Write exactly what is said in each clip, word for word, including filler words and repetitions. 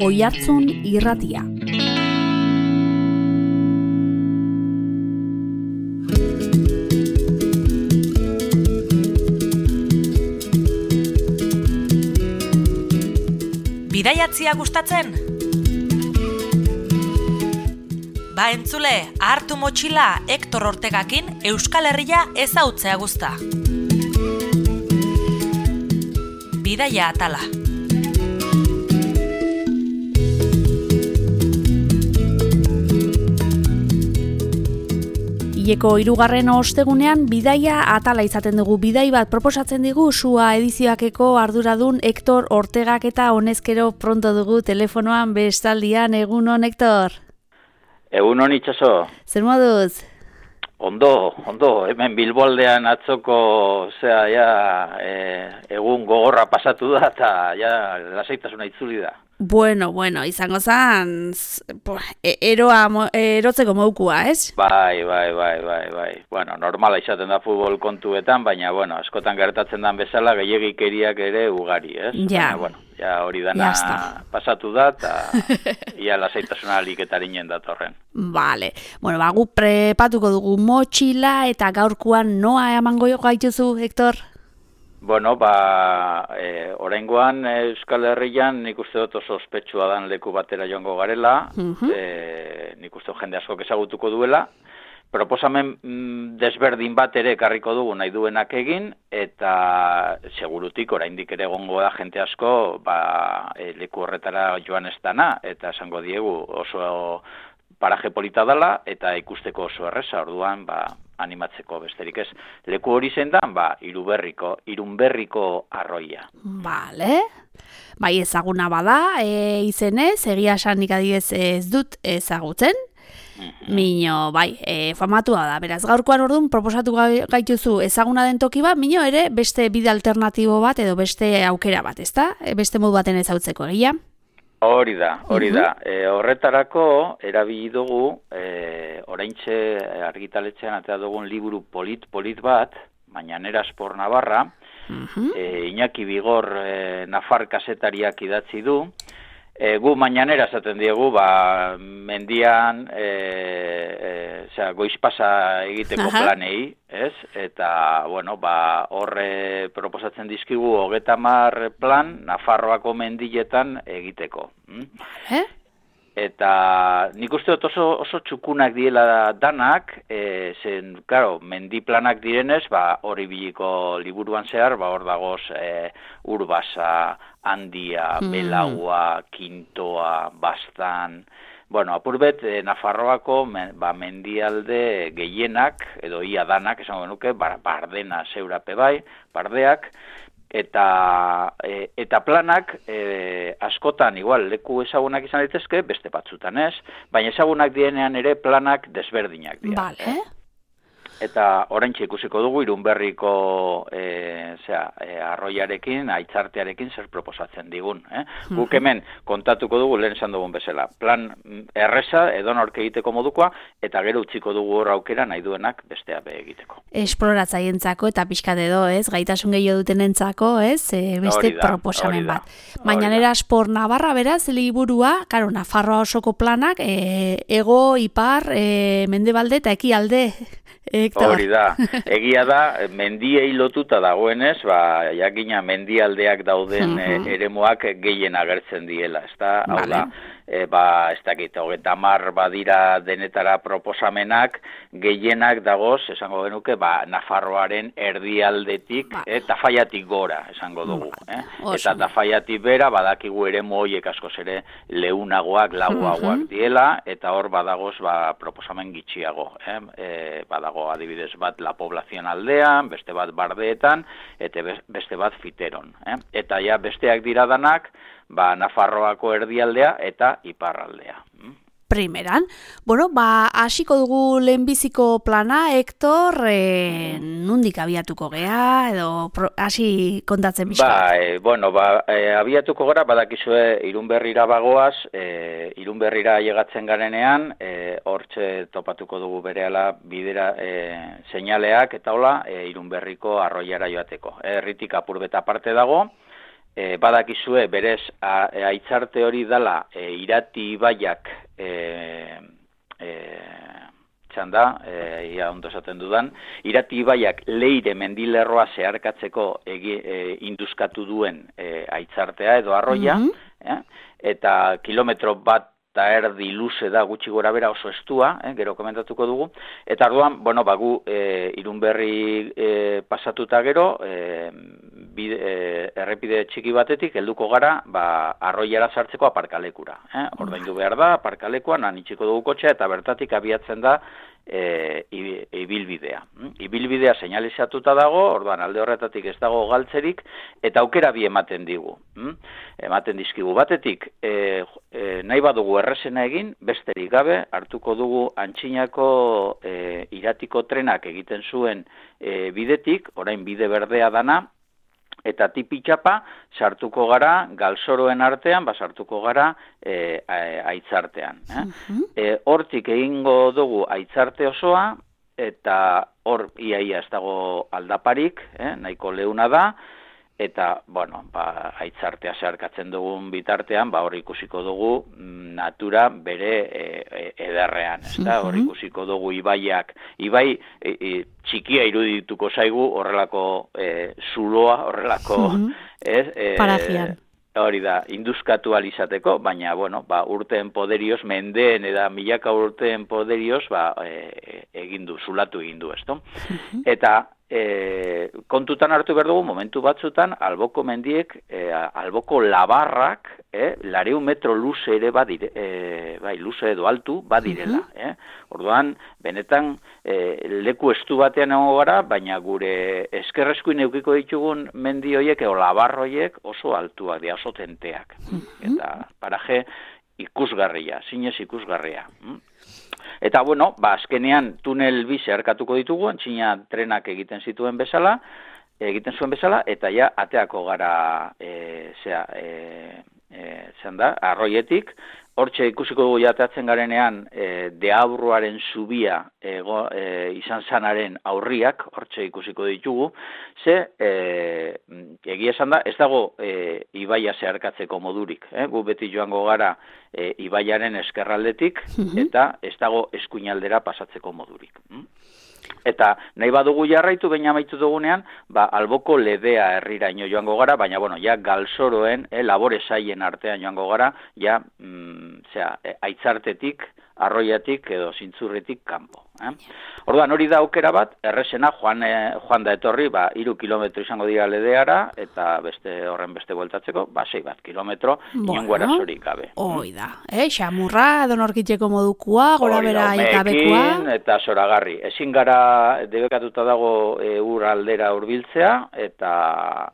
Oihartzun Irratia. Bidaiatzia gustatzen? Ba entzule, hartu motxila Hektor Ortegakin Euskal Herria ezautzea guzta. Bidaia atala. Hileko hirugarren ostegunean bidaia atala izaten dugu. Bidai bat proposatzen digu Sua edizioakeko arduradun Hektor Ortegak eta honezkero pronto dugu telefonoan bestaldian. Egunon, Hektor? Egunon, Itxaso. Zer moduz? Ondo, ondo, hemen Bilboaldean atzoko, zera, ja, e, egun gogorra pasatu da, eta ja, lasaitasuna itzuli da. Bueno, bueno, izango zan, eroa, erotzeko moukua, ez? Bai, bai, bai, bai, bai. Bueno, normala izaten da futbol kontuetan, baina, bueno, askotan gertatzen dan bezala, gehiagikeriak ere ugari, ez? Ja. Baina, bueno, ja hori dana pasatu da, eta ia lasaitasuna liketarinen datorren. Vale. Bueno, ba, gu prepatuko dugu motxila, eta gaurkoan noa emango gaituzu, Hektor? Bueno, ba, e, oraingoan Euskal Herrian nik uste dut oso ospetsua dan leku batera joango garela, uh-huh. e, nik uste jende askok ezagutuko duela, proposamen mm, desberdin bat ere ekarriko dugu nahi duenak egin, eta segurutik oraindik ere egongo da jente asko ba, e, leku horretara joan ez dana, eta esango diegu oso paraje polita dela, eta ikusteko oso erreza, orduan, ba, animatzeko besterik ez. Leku hori zendan, ba, Iruberriko, Irunberriko arroia. Vale. Bai, ezaguna bada, e, izenez, egia esanik adidez ez dut ezagutzen. Mm-hmm. Mino, bai, e, famatua da. Beraz, gaurkoan orduan proposatu gaituzu ezaguna den toki bat, mino ere beste bide alternatibo bat edo beste aukera bat, ezta? E, beste modu baten ezautzeko, egia? Hori da, hori da. E, horretarako erabili dugu, e, oraintxe argitaletxean atea dugun liburu polit-polit bat, Mañanera Sport Navarra, uh-huh. e, Iñaki Bigor e, Nafar kasetariak idatzi du, e, gu Mañanera esaten diegu, ba, mendian, e, e, zera, goizpasa egiteko uh-huh. planei, ez? Eta, bueno, ba, horre proposatzen dizkigu hogeita hamar plan Nafarroako mendiletan egiteko. Hm? Eh? Eta nik uste dut oso, oso txukunak diela danak, e, zen, claro, mendi planak direnez, ba, hori biliko liburuan zehar, ba, hor dagoz e, Urbasa, Handia, mm. Belagua, Kintoa, Bastan. Bueno, apurbet, eh, Nafarroako men, ba, mendialde gehienak, edo ia danak, esango nuke, ba, Bardena zeurape bai, Bardeak, eta, e, eta planak e, askotan, igual, leku ezagunak izan daitezke, beste batzutan ez, baina ezagunak dienean ere planak desberdinak dira. Vale. Eta oraintxe ikusiko dugu Irunberriko e, zera, e, arroiarekin, aitzartearekin zer proposatzen digun. Eh? Uh-huh. Guk hemen kontatuko dugu lehen esan dugun bezala. Plan erreza, edonork egiteko modukoa, eta gero utziko dugu hor aukera nahi duenak bestea be egiteko. Esploratzaientzako eta pixkat edo, ez? Gaitasun gehiago dutenentzako, ez? E, beste da, proposamen bat. Mañanera Sport Navarra, beraz, liburua, karo, Nafarroa osoko planak, e, ego, ipar, e, mendebalde eta ekialde. Hori da, egia da, mendiei lotuta dagoenez, ba, jakina mendialdeak dauden uh-huh. eremuak gehien agertzen diela, ezta? Hau vale. Da, e, ba, ez dakit, hogeita hamar badira denetara proposamenak, gehienak dagoz, esango genuke, ba, Nafarroaren erdialdetik, ba. e, Tafaiatik gora, esango dugu. Ba. Eh? Eta Tafaiatik bera, badakigu eremu horiek askoz ere leunagoak, lauagoak uh-huh. diela, eta hor badagoz, ba, proposamen gitxiago. Eh? E, badago adibidez bat La Población aldean, beste bat Bardeetan, eta beste bat Fiteron. Eh? Eta ja besteak dira danak, ba, Nafarroako erdialdea eta iparraldea. Primeran, bueno, ba, hasiko dugu lehenbiziko plana, Hektor, e, nundik abiatuko gea, edo pro, hasi kontatzen bizka? Ba, e, bueno, ba, e, abiatuko gara, badakizue Irunberrira bagoaz, e, Irunberrira llegatzen garenean, e, hortxe topatuko dugu berehala bidera e, seinaleak, eta hola, e, Irunberriko arroiara joateko. Herritik apurbeta aparte dago, e, badakizue berez a, e, aitzarte hori dela e, Irati ibaiak e, e, txanda, e, ia ondo esaten dudan, Irati ibaiak Leire mendilerroa zeharkatzeko egi, e, induzkatu duen e, aitzartea edo arroia, mm-hmm. eh? Eta kilometro bat eta erdi luze da gutxi gora bera oso estua, eh, gero komentatuko dugu, eta arduan, bueno, bagu e, Irunberri e, pasatuta gero, e, bide, e, errepide txiki batetik, helduko gara, ba, arroiara sartzeko aparkalekura. Eh? Ordaindu behar da, aparkalekuan, han itxiko dugu kotxea, eta bertatik abiatzen da, E, ibilbidea. Ibilbidea seinalizatuta dago, orduan alde horretatik ez dago galtzerik, eta aukera bi ematen digu. Ematen dizkigu batetik, e, e, nahi badugu errezena egin, besterik gabe, hartuko dugu Antxinako e, Iratiko trenak egiten zuen e, bidetik, orain bide berdea dana, eta tipitxapa sartuko gara galzoroen artean, ba sartuko gara e, aitzartean. Eh? Uh-huh. E, hortik egingo dugu aitzarte osoa, eta hor iaia ez dago aldaparik, eh? Nahiko leuna da, eta, bueno, ba, aitzartea zeharkatzen dugun bitartean, ba, hor ikusiko dugu natura bere e, e, ederrean, ez da? Hor ikusiko dugu ibaiak, ibai e, e, txikia irudituko zaigu horrelako e, zuloa, horrelako... ez, e, parajian. Hori da, induzkatu alizateko, baina, bueno, ba, urteen poderioz, mendeen eta milaka urteen poderioz, ba, e, egindu, zulatu egindu, ez da? Eta, E, kontutan hartu behar dugu, momentu batzutan, alboko mendiek, e, alboko labarrak, e, lareun metro luze ere badire, e, bai, luze edo altu badirela. Uh-huh. eh? Orduan, benetan, e, leku estu batean egongo gara, baina gure eskerreskuin eukiko ditugun mendi horiek, edo labarroiek oso altuak, dira, oso tenteak. Uh-huh. Eta paraje ikusgarria, zinez ikusgarria. Eta, bueno, ba, azkenean tunel bi zeharkatuko ditugu, Antxina trenak egiten zituen bezala, egiten zuen bezala, eta ja, ateako gara, e, zera, e, e, zean da, arroietik, hortxe ikusiko dugu jateatzen garenean, e, Deabruaren zubia ego, e, izan zanaren aurriak, hortxe ikusiko ditugu, ze, e, egia esan da, ez dago e, ibaia zeharkatzeko modurik, eh? Gu beti joango gara e, ibaiaren eskerraldetik, eta ez dago eskuinaldera pasatzeko modurik. Eta nahi badugu jarraitu, baina amaitu dugunean, ba, alboko ledea herriraino joango gara, baina, bueno, ja galzoroen, eh, labore saien artean joango gara, ja, mm, zera, eh, aitzartetik, arroiatik edo zintzurretik kanpo. Eh? Orduan, hori da aukera bat, errezena joan, eh, joan da etorri, ba, iru kilometro izango dira ledeara, eta beste horren beste bueltatzeko, ba, sei bat kilometro, bueno, inongo arazorik gabe. Hoi da, eh? Xamurra, donorkitzeko modukua, gora bera ikabekua. Eta zoragarri. Ezin gara debekatuta dago e, ur aldera hurbiltzea, eta,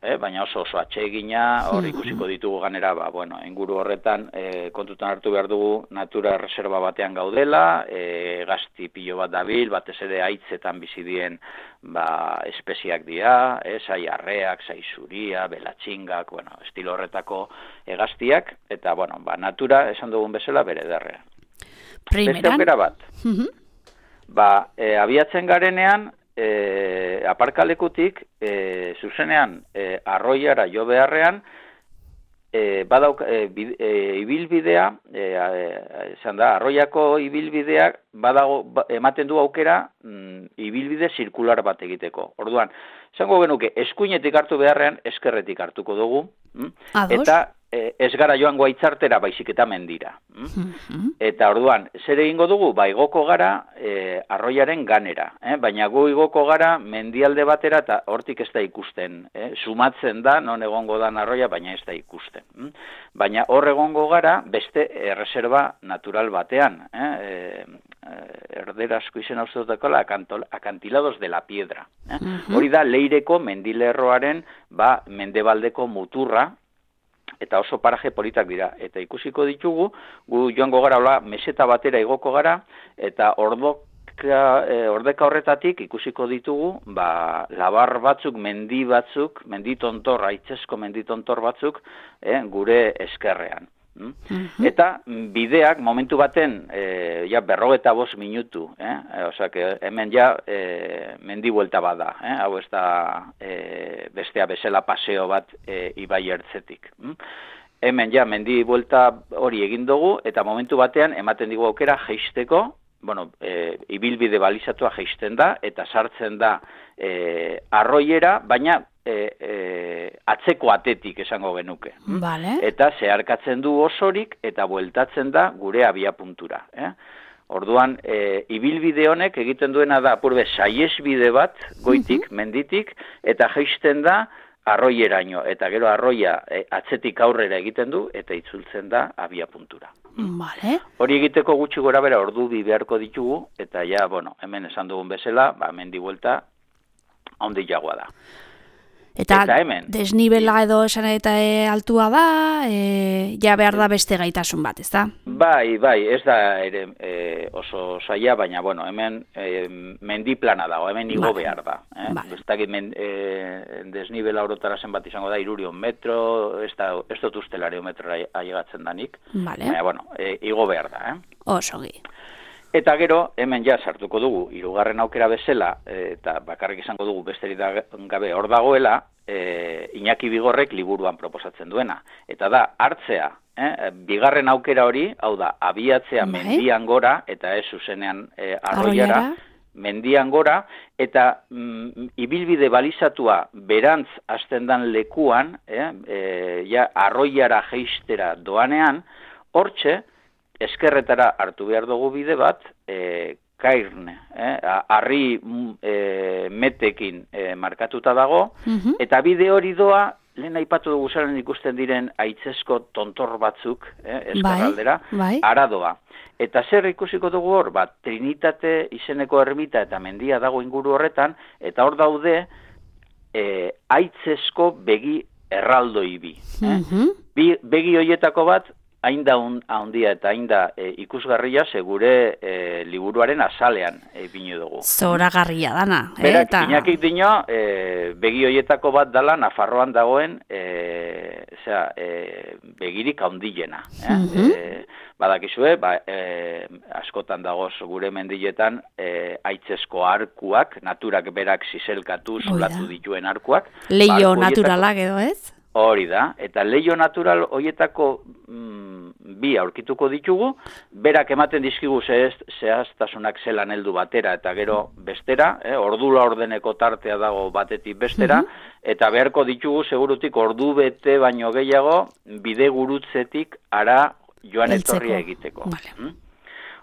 eh, baina oso oso atsegina, hor ikusiko ditugu ganera, ba, bueno, inguru horretan, e, kontutan hartu behar dugu natura reserva batean gaudela, e, gazti pilo bat dabil, batez ere haitzetan bizi dien ba, espeziak dira, eh, sai arreak, sai zuria, belatxingak, bueno, estilo horretako egaztiak, eta, bueno, ba, natura, esan dugun bezala, bere derrean. Beste aukera bat. Uh-huh. Ba, e, abiatzen garenean, e, aparkalekutik, e, zuzenean, e, arroiara jo beharrean, E, badauk, e, bid, e, ibilbidea, esan e, da, arroiako ibilbideak badago, ba, ematen du aukera mm, ibilbide zirkular bat egiteko. Orduan, esango genuke, eskuinetik hartu beharrean, eskerretik hartuko dugu, mm? Eta e, ez gara joango aitzartera baizik eta mendira. Mm? Mm-hmm. Eta orduan, zer egingo dugu? Ba, igoko gara e, arroiaren ganera, eh? Baina gu igoko gara mendialde batera eta hortik ez da ikusten. Eh? Sumatzen da, non egongo dan arroia, baina ez da ikusten. Mm? Baina hor egongo gara beste erreserba natural batean. Eh? E, erderazko izen hau zutekola, akantilados de la piedra. Eh? Mm-hmm. Hori da Leireko mendilerroaren ba, mendebaldeko muturra, eta oso paraje politak dira. Eta ikusiko ditugu, gu joango gara, hola, meseta batera igoko gara, eta ordeka, e, ordeka horretatik ikusiko ditugu, ba, labar batzuk, mendi batzuk, menditontor, aitzesko menditontor batzuk, e, gure eskerrean. Mm? Eta bideak momentu baten e, ja berrogeta bost minutu, eh? Osea, hemen ja e, mendi buelta bada, eh? Hau ez da e, bestea bezala paseo bat e, ibai ertzetik. Mm? Hemen ja mendi buelta hori egin dugu eta momentu batean ematen digu aukera jeisteko, bueno, e, ibilbide balizatua jeisten da eta sartzen da e, arroiera, baina E, e, atzeko atetik esango genuke. Vale. Eta zeharkatzen du osorik eta bueltatzen da gure abiapuntura. Eh? Orduan, e, ibilbide honek egiten duena da apurbe saiesbide bat goitik, menditik, eta jeisten da arroieraino. Eta gero arroia e, atzetik aurrera egiten du eta itzultzen da abiapuntura. Vale. Hori egiteko gutxi gora bera ordu bi beharko ditugu, eta ja, bueno, hemen esan dugun bezala, ba, mendi buelta handi jagoa da. Eta, eta hemen, desnibela edo esan eta e, altua da, e, ja behar da beste gaitasun bat, ez da? Bai, bai, ez da ere e, oso saia, baina, bueno, hemen e, mendi plana dago, hemen igo vale. behar da. Eh? Vale. Ez dakit e, desnibela orotara zenbat izango da, irurion metro, ez, da, ez dut ustelare metrora ailegatzen danik. Vale. Baina, bueno, e, igo behar da. Eh? Osogi. Eta gero, hemen ja sartuko dugu, hirugarren aukera bezala, eta bakarrik izango dugu besterik gabe hor dagoela, e, Iñaki Bigorrek liburuan proposatzen duena. Eta da, hartzea, eh, bigarren aukera hori, hau da, abiatzea bai. mendian gora, eta ez zuzenean e, arroiara, mendian gora, eta mm, ibilbide balizatua berantz hasten dan lekuan, eh, e, ja, arroiara jeistera doanean, hortxe, eskerretara hartu behar dugu bide bat, e, kairne, eh, harri e, metekin e, markatuta dago, uh-huh. eta bide hori doa, lehen aipatu dugu zaren ikusten diren aitzesko tontor batzuk, eh, eskarraldera, bai, bai. aradoa. Eta zer ikusiko dugu hor, bat, Trinitate izeneko ermita eta mendia dago inguru horretan, eta hor daude e, aitzesko begi erraldoi bi. Eh? Uh-huh. bi begi hoietako bat, hain da handia eta hain da e, ikusgarria segure e, liburuaren azalean e, binu dugu. Zoragarria dana. Berak, eta... Iñakik dino, e, begi hoietako bat dala Nafarroan dagoen e, zera, e, begirik handiena. Eh? Uh-huh. e, badakizue, ba, e, askotan dagoz gure mendiletan e, aitzesko arkuak, naturak berak zizelkatu, zulatu dituen arkuak. Leio naturalak edo ez? Hori da, eta leio natural horietako mm, bi aurkituko ditugu, berak ematen dizkigu zehaztasunak zelan heldu batera eta gero bestera, eh, ordula ordeneko tartea dago batetik bestera, uh-huh. eta beharko ditugu segurutik ordu bete baino gehiago bide gurutzetik ara joan etorria egiteko. Vale. Hmm?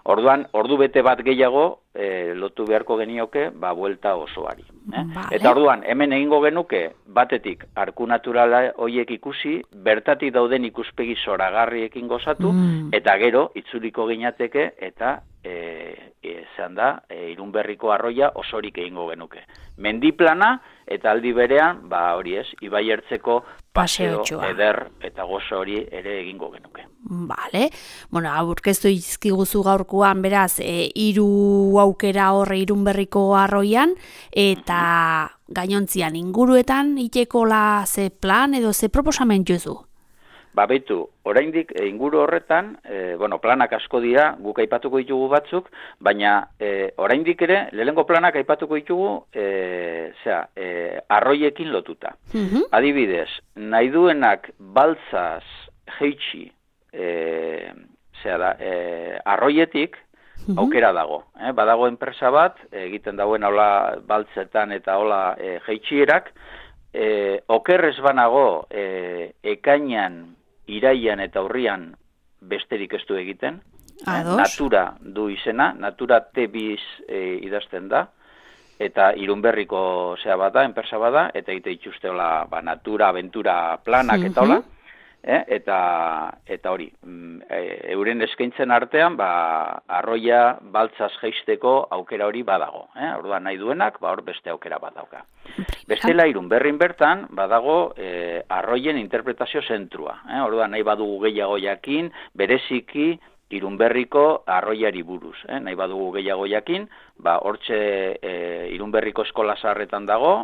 Orduan, ordu bete bat gehiago e, lotu beharko genioke, ba, buelta osoari. Eh? Vale. Eta orduan, hemen egingo genuke, batetik, arku naturala horiek ikusi, bertatik dauden ikuspegi zoragarriekin gozatu, mm. eta gero, itzuliko ginateke, eta e, e, zehan da, e, Irunberriko arroia osorik egingo genuke. Mendiplana, eta aldi berean, ba, hori ez, ibai ertzeko paseo, eder eta gozo hori ere egingo genuke. Vale. Bueno, aurkeztu izkiguzu gaurkoan, beraz, e, hiru aukera horre Irunberriko arroian, eta gainontzian inguruetan iteko la ze plan edo ze proposamen jozu? Ba, behitu, oraindik e, inguru horretan, e, bueno, planak asko dira, guk aipatuko ditugu batzuk, baina e, oraindik ere, lehengo planak aipatuko ditugu, e, zera, e, arroiekin lotuta. Uh-huh. Adibidez, nahi duenak baltzaz jeitsi, e, zera da, e, arroietik, uh-huh. aukera dago. Eh? Badago enpresa bat, egiten dauen hola baltzetan eta hola e, jeitxierak, e, okerrez banago e, ekainan, iraian eta urrian besterik ez du egiten. Ados. Natura du izena, Natura T biz e, idazten da, eta Irunberriko zea bada, enpresa bada, eta egite itxuste hola, ba, natura, aventura planak uh-huh. eta hola, eh? eta, eta hori, e, euren eskaintzen artean, ba, arroia baltzaz jeisteko aukera hori badago. Eh? Orduan nahi duenak, ba, hor beste aukera badauka. Bestela Irunberrin bertan, badago e, arroien interpretazio zentrua. Eh? Orduan nahi badugu gehiago jakin, bereziki Irunberriko arroiari buruz. Eh? Nahi badugu gehiago jakin, ba, hortxe e, Irunberriko eskola zaharretan dago,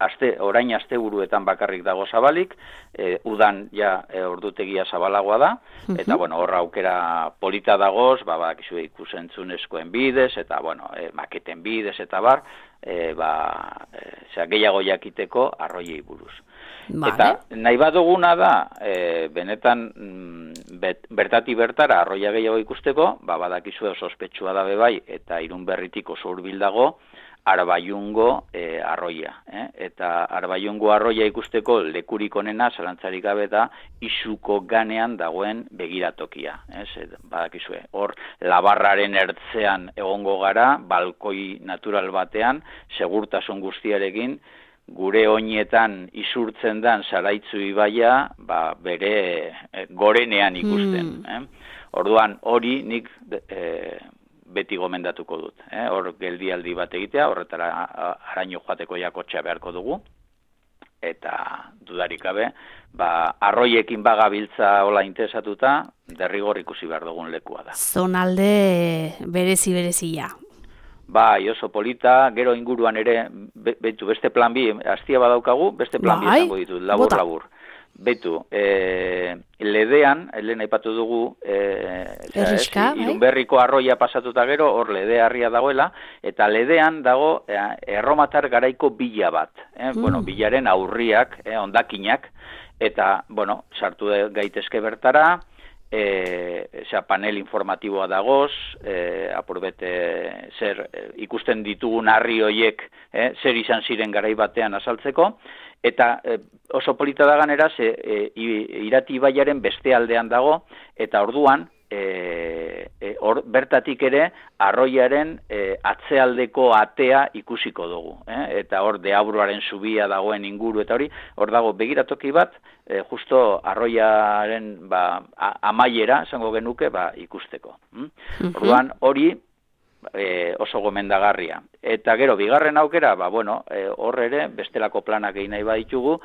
aste, orain asteburuetan bakarrik dago zabalik, e, udan ja e, ordutegia zabalagoa da, eta bueno, horra aukera polita dagoz, ba, bakizu ikusentzunezkoen bidez, eta bueno, e, maketen bidez, eta bar, e, ba, e, zera, gehiago jakiteko arroiei buruz. Vale. Eta nahi baduguna da, e, benetan bet, bertati bertara arroia gehiago ikusteko, ba, badakizu oso ospetsua da bebai, eta Irun Berritik oso hurbil dago, Arbaiungo e, arroia. Eh? Eta Arbaiungo arroia ikusteko lekurik onena, zalantzarik gabe da, Isuko ganean dagoen begiratokia. Eh? Badakizue, hor labarraren ertzean egongo gara, balkoi natural batean, segurtasun guztiarekin, gure oinetan isurtzen dan Zaraitzu ibaia, ba, bere e, gorenean ikusten. Hmm. Eh? Orduan, hori nik e, beti gomendatuko dut. Eh? Hor geldialdi bat egitea, horretara araño joateko jakotxea beharko dugu, eta dudarik gabe, ba, arroiekin bagabiltza hola interesatuta, derrigor ikusi behar dugun lekua da. Zonalde berezi-berezia. Bai, oso polita, gero inguruan ere, be, betu, beste plan bi, hastia badaukagu, beste plan bi izango ditut, labur-labur. Betu, e, ledean, lehen aipatu dugu, e, Erriska, ez, Irunberriko arroia pasatuta gero, hor lede harria dagoela, eta ledean dago e, erromatar garaiko bila bat. Eh? Mm. Bueno, bilaren aurriak, eh, ondakinak, eta, bueno, sartu gaitezke bertara, E, eza, panel informatiboa dagoz, e, apurbete zer e, ikusten ditugun harri hoiek e, zer izan ziren garai batean azaltzeko, eta e, oso polita da ganera, ze, e, Irati ibaiaren beste aldean dago, eta orduan, e, e, or, bertatik ere, arroiaren e, atzealdeko atea ikusiko dugu. Eh? Eta hor Deabruaren zubia dagoen inguru, eta hori, hor dago begiratoki bat, E, justo arroiaren ba, amaiera, esango genuke, ba, ikusteko. Mm? Uh-huh. Orduan, hori e, oso gomendagarria. Eta gero, bigarren aukera, ba, bueno, e, hor ere, bestelako planak egin nahi baditugu,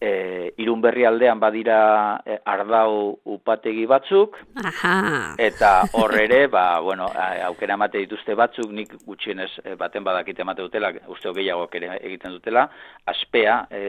e, Irunberri aldean badira e, ardau upategi batzuk, aha, eta hor ere, ba, bueno, aukera emate dituzte batzuk, nik gutxienez baten badakite emate dutela, uste gehiago ere egiten dutela, aspea e,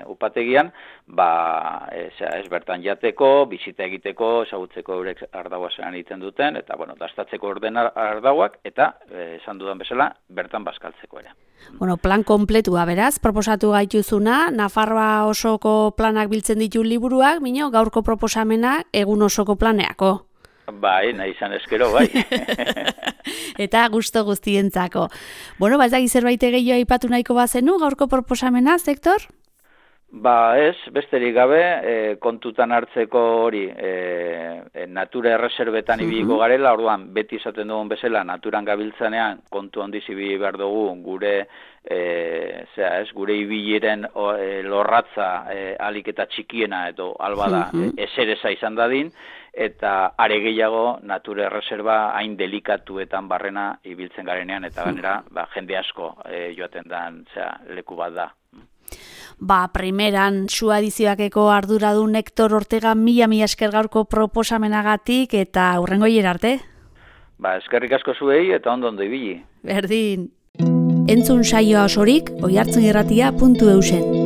upategian, ba, ez, ez bertan jateko, bizita egiteko, ezagutzeko eurek ardaua zelan egiten duten, eta, bueno, dastatzeko orden ardauak, eta, e, esan dudan bezala, bertan bazkaltzeko ere. Bueno, plan kompletua, beraz, proposatu gaituzuna, Nafarroa osoko planak biltzen ditu liburuak, mino, gaurko proposamena egun osoko planeako. Bai, nahi izan eskero, bai. Eta gusto guztientzako. Bueno, ba, ez da zerbait gehiago aipatu nahiko bazenu, gaurko proposamena, Sektor? Ba ez, besterik gabe, e, kontutan hartzeko hori, e, natura erreserbetan ibiliko garela, orduan beti izaten dugun bezala, naturan gabiltzanean kontu handiz ibili behar dugu gure, e, zera, ez, gure ibiliren o, e, lorratza e, alik eta txikiena edo albada e, esereza izan dadin, eta are gehiago natura erreserba hain delikatuetan barrena ibiltzen garenean, eta ganera ba, jende asko e, joaten dan zera, leku bat da. Ba, primeran, su adizioakeko arduradun Hektor Ortega mila mila esker gaurko proposamenagatik eta hurrengo arte. Ba, eskerrik asko zuei eta ondo ondo ibili. Berdin. Entzun saioa osorik, oihartzunirratia puntu eusen.